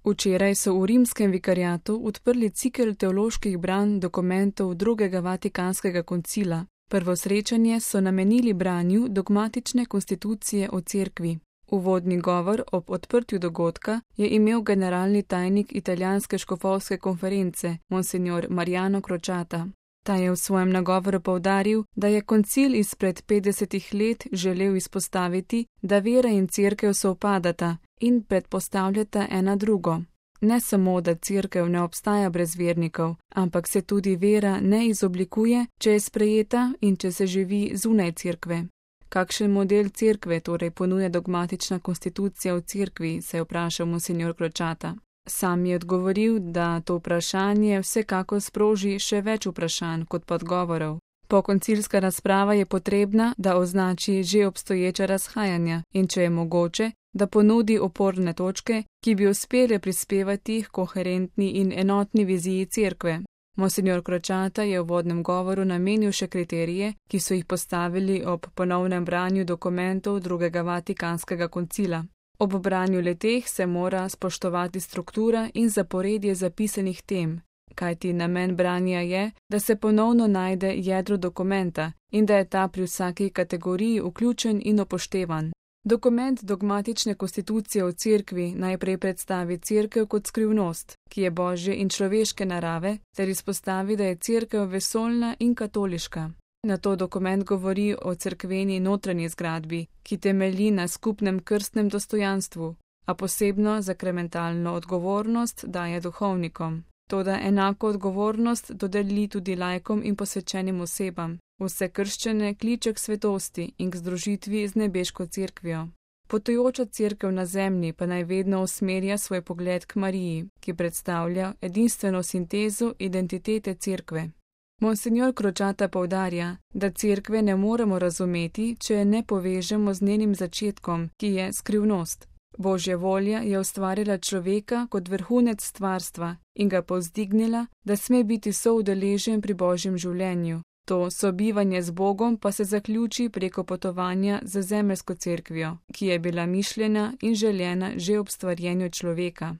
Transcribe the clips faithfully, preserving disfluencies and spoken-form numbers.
Včeraj so v rimskem vikariatu odprli cikel teoloških branj dokumentov drugega vatikanskega koncila. Prvo srečanje so namenili branju dogmatične konstitucije o cerkvi. Uvodni govor ob odprtju dogodka je imel generalni tajnik italijanske škofovske konference, monsignor Mariano Crociata. Ta je v svojem nagovoru poudaril, da je koncil izpred petdesetih let želel izpostaviti, da vera in cerkev sovpadata in predpostavljata ena drugo. Ne samo, da cerkev ne obstaja brez vernikov, ampak se tudi vera ne izoblikuje, če je sprejeta in če se živi zunaj cerkve. Kakšen model cerkve torej ponuja dogmatična konstitucija v cerkvi, se je vprašal monsignor Crociata. Sam je odgovoril, da to vprašanje vsekakor sproži še več vprašanj kot pa odgovorov. Pokoncilska razprava je potrebna, da označi že obstoječa razhajanja in, če je mogoče, da ponudi oporne točke, ki bi uspele prispevati k koherentni in enotni viziji cerkve. Monsignor Crociata je v vodnem govoru namenil še kriterije, ki so jih postavili ob ponovnem branju dokumentov drugega vatikanskega koncila. Ob branju leteh se mora spoštovati struktura in zaporedje zapisanih tem, kajti namen branja je, da se ponovno najde jedro dokumenta in da je ta pri vsaki kategoriji vključen in upoštevan. Dokument dogmatične konstitucije v cerkvi najprej predstavi cerkev kot skrivnost, ki je božje in človeške narave, ter izpostavi, da je cerkev vesoljna in katoliška. Nato dokument govori o cerkveni notranji zgradbi, ki temelji na skupnem krstnem dostojanstvu, a posebno zakramentalno odgovornost daje duhovnikom. Toda enako odgovornost dodeli tudi laikom in posvečenim osebam. Vse krščene kliče k svetosti in k združitvi z nebeško cerkvijo. Potujoča cerkev na zemlji pa naj vedno usmerja svoj pogled k Mariji, ki predstavlja edinstveno sintezo identitete cerkve. Monsignor Crociata poudarja, da cerkve ne moremo razumeti, če je ne povežemo z njenim začetkom, ki je skrivnost. Božja volja je ustvarila človeka kot vrhunec stvarstva in ga povzdignila, da sme biti soudeležen pri božjem življenju. To sobivanje z Bogom pa se zaključi preko potovanja za zemeljsko cerkvijo, ki je bila mišljena in željena že ob stvarjenju človeka.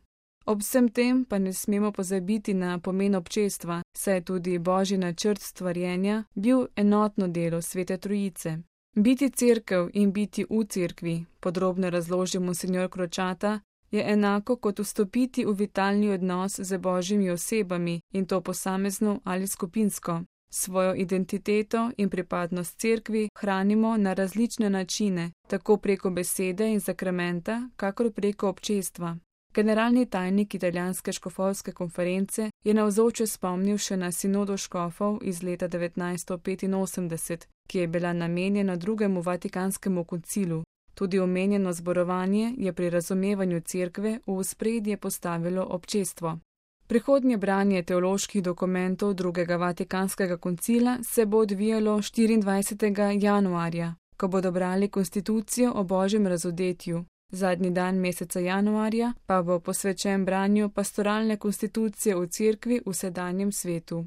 Ob vsem tem pa ne smemo pozabiti na pomen občestva, saj je tudi božji načrt stvarjenja bil enotno delo Svete Trojice. Biti cerkev in biti v cerkvi, podrobno razloži monsignor Crociata, je enako kot vstopiti v vitalni odnos z božjimi osebami in to posamezno ali skupinsko. Svojo identiteto in pripadnost cerkvi hranimo na različne načine, tako preko besede in sakramenta, kakor preko občestva. Generalni tajnik italijanske škofovske konference je navzoče spomnil še na sinodo škofov iz leta devetnajststo petinosemdeset, ki je bila namenjena drugemu vatikanskemu koncilu. Tudi omenjeno zborovanje je pri razumevanju cerkve v ospredje postavilo občestvo. Prihodnje branje teoloških dokumentov drugega vatikanskega koncila se bo odvijalo štiriindvajsetega januarja, ko bodo brali konstitucijo o božjem razodetju. Zadnji dan meseca januarja pa bo posvečen branju pastoralne konstitucije v cerkvi v sedanjem svetu.